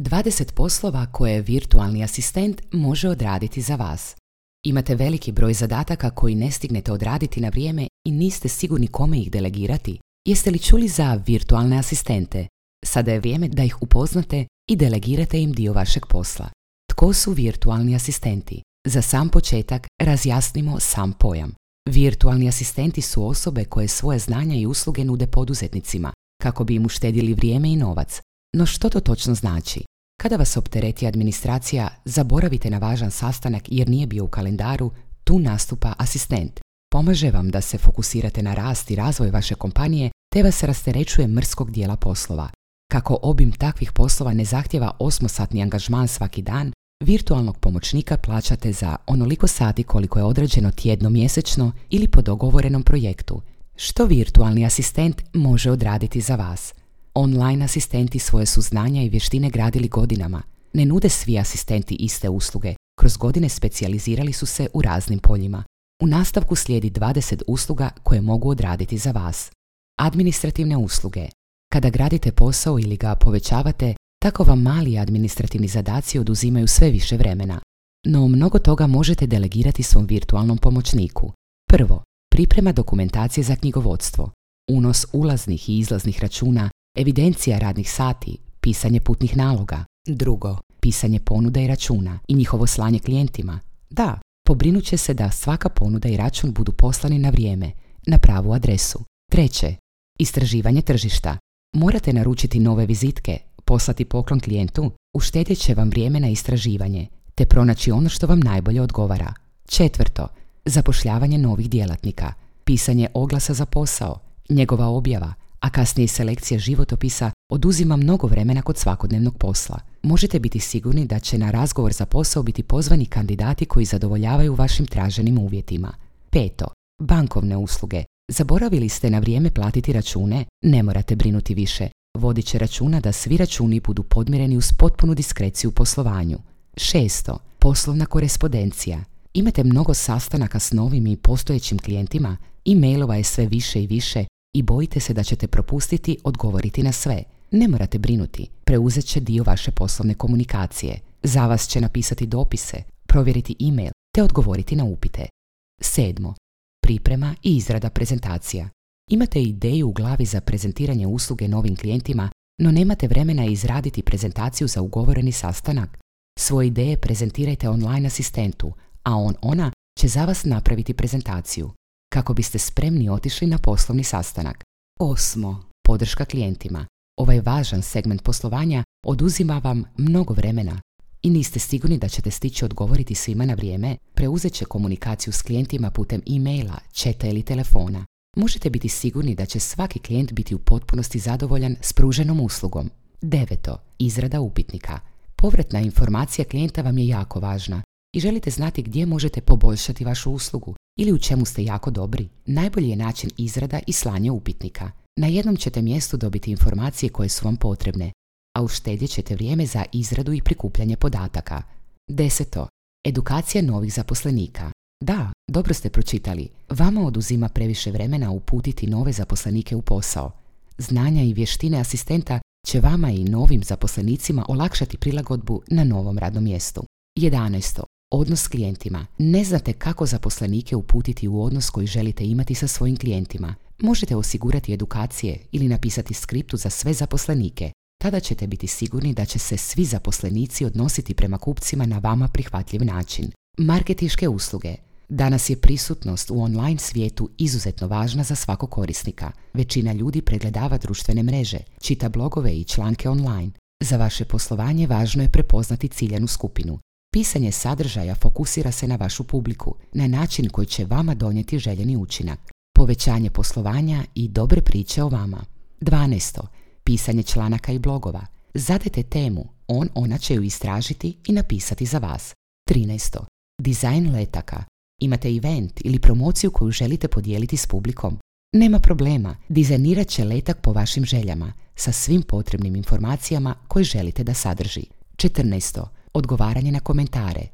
20 poslova koje virtualni asistent može odraditi za vas. Imate veliki broj zadataka koji ne stignete odraditi na vrijeme i niste sigurni kome ih delegirati. Jeste li čuli za virtualne asistente? Sada je vrijeme da ih upoznate i delegirate im dio vašeg posla. Tko su virtualni asistenti? Za sam početak razjasnimo sam pojam. Virtualni asistenti su osobe koje svoje znanja i usluge nude poduzetnicima kako bi im uštedili vrijeme i novac. No što to točno znači? Kada vas optereti administracija, zaboravite na važan sastanak jer nije bio u kalendaru, tu nastupa asistent. Pomaže vam da se fokusirate na rast i razvoj vaše kompanije te vas rasterećuje mrskog dijela poslova. Kako obim takvih poslova ne zahtjeva 8-satni angažman svaki dan, virtualnog pomoćnika plaćate za onoliko sati koliko je određeno tjedno, mjesečno ili po dogovorenom projektu. Što virtualni asistent može odraditi za vas? Online asistenti svoje su znanja i vještine gradili godinama. Ne nude svi asistenti iste usluge. Kroz godine specijalizirali su se u raznim poljima. U nastavku slijedi 20 usluga koje mogu odraditi za vas. Administrativne usluge. Kada gradite posao ili ga povećavate, tako vam mali administrativni zadaci oduzimaju sve više vremena. No mnogo toga možete delegirati svom virtualnom pomoćniku. Prvo, priprema dokumentacije za knjigovodstvo. Unos ulaznih i izlaznih računa, evidencija radnih sati, pisanje putnih naloga. Drugo, pisanje ponuda i računa i njihovo slanje klijentima. Da, pobrinut će se da svaka ponuda i račun budu poslani na vrijeme, na pravu adresu. Treće, istraživanje tržišta. Morate naručiti nove vizitke, poslati poklon klijentu, uštedjet će vam vrijeme na istraživanje, te pronaći ono što vam najbolje odgovara. Četvrto, zapošljavanje novih djelatnika, pisanje oglasa za posao, njegova objava, a kasnije selekcija životopisa oduzima mnogo vremena kod svakodnevnog posla. Možete biti sigurni da će na razgovor za posao biti pozvani kandidati koji zadovoljavaju vašim traženim uvjetima. Peto, bankovne usluge. Zaboravili ste na vrijeme platiti račune? Ne morate brinuti više. Vodit će računa da svi računi budu podmireni uz potpunu diskreciju u poslovanju. Šesto, poslovna korespondencija. Imate mnogo sastanaka s novim i postojećim klijentima, e-mailova je sve više i više i bojite se da ćete propustiti odgovoriti na sve. Ne morate brinuti, preuzet će dio vaše poslovne komunikacije. Za vas će napisati dopise, provjeriti e-mail te odgovoriti na upite. Sedmo, priprema i izrada prezentacija. Imate ideju u glavi za prezentiranje usluge novim klijentima, no nemate vremena izraditi prezentaciju za ugovoreni sastanak? Svoje ideje prezentirajte online asistentu, a ona će za vas napraviti prezentaciju, kako biste spremni otišli na poslovni sastanak. Osmo, podrška klijentima. Ovaj važan segment poslovanja oduzima vam mnogo vremena i niste sigurni da ćete stići odgovoriti svima na vrijeme, preuzet će komunikaciju s klijentima putem e-maila, chata ili telefona. Možete biti sigurni da će svaki klijent biti u potpunosti zadovoljan s pruženom uslugom. Deveto, izrada upitnika. Povratna informacija klijenta vam je jako važna i želite znati gdje možete poboljšati vašu uslugu ili u čemu ste jako dobri. Najbolji je način izrada i slanje upitnika. Na jednom ćete mjestu dobiti informacije koje su vam potrebne, a uštedjet ćete vrijeme za izradu i prikupljanje podataka. Deseto, edukacija novih zaposlenika. Da, dobro ste pročitali. Vama oduzima previše vremena uputiti nove zaposlenike u posao. Znanja i vještine asistenta će vama i novim zaposlenicima olakšati prilagodbu na novom radnom mjestu. 11. Odnos s klijentima. Ne znate kako zaposlenike uputiti u odnos koji želite imati sa svojim klijentima. Možete osigurati edukacije ili napisati skriptu za sve zaposlenike. Tada ćete biti sigurni da će se svi zaposlenici odnositi prema kupcima na vama prihvatljiv način. Marketinške usluge. Danas je prisutnost u online svijetu izuzetno važna za svakog korisnika. Većina ljudi pregledava društvene mreže, čita blogove i članke online. Za vaše poslovanje važno je prepoznati ciljanu skupinu. Pisanje sadržaja fokusira se na vašu publiku, na način koji će vama donijeti željeni učinak. Povećanje poslovanja i dobre priče o vama. 12. Pisanje članaka i blogova. Zadajte temu, ona će ju istražiti i napisati za vas. 13. Dizajn letaka. Imate event ili promociju koju želite podijeliti s publikom? Nema problema, dizajnirat će letak po vašim željama, sa svim potrebnim informacijama koje želite da sadrži. 14. Odgovaranje na komentare.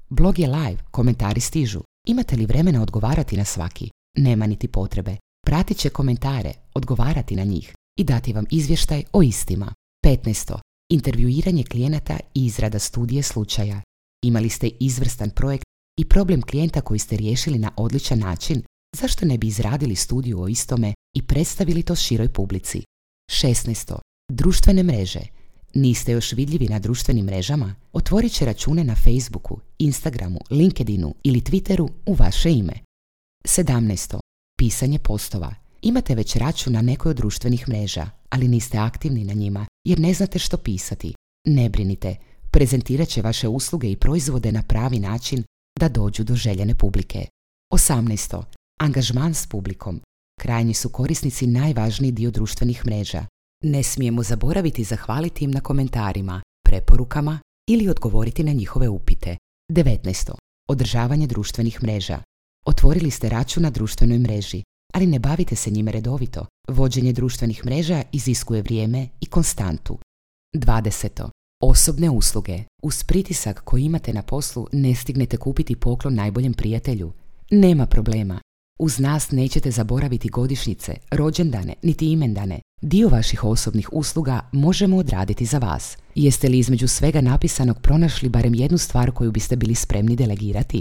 Blog je live, komentari stižu. Imate li vremena odgovarati na svaki? Nema niti potrebe. Pratit će komentare, odgovarati na njih i dati vam izvještaj o istima. 15. intervjuiranje klijenata i izrada studije slučaja. Imali ste izvrstan projekt i problem klijenta koji ste riješili na odličan način, zašto ne bi izradili studiju o istome i predstavili to široj publici? 16. Društvene mreže. Niste još vidljivi na društvenim mrežama? Otvorit će račune na Facebooku, Instagramu, LinkedInu ili Twitteru u vaše ime. 17. Pisanje postova. Imate već račun na nekoj od društvenih mreža, ali niste aktivni na njima jer ne znate što pisati. Ne brinite, prezentirat će vaše usluge i proizvode na pravi način da dođu do željene publike. 18. Angažman s publikom. Krajnji su korisnici najvažniji dio društvenih mreža. Ne smijemo zaboraviti zahvaliti im na komentarima, preporukama ili odgovoriti na njihove upite. 19. Održavanje društvenih mreža. Otvorili ste račun na društvenoj mreži, ali ne bavite se njime redovito. Vođenje društvenih mreža iziskuje vrijeme i konstantu. 20. Osobne usluge. Uz pritisak koji imate na poslu ne stignete kupiti poklon najboljem prijatelju. Nema problema. Uz nas nećete zaboraviti godišnjice, rođendane, niti imendane. Dio vaših osobnih usluga možemo odraditi za vas. Jeste li između svega napisanog pronašli barem jednu stvar koju biste bili spremni delegirati?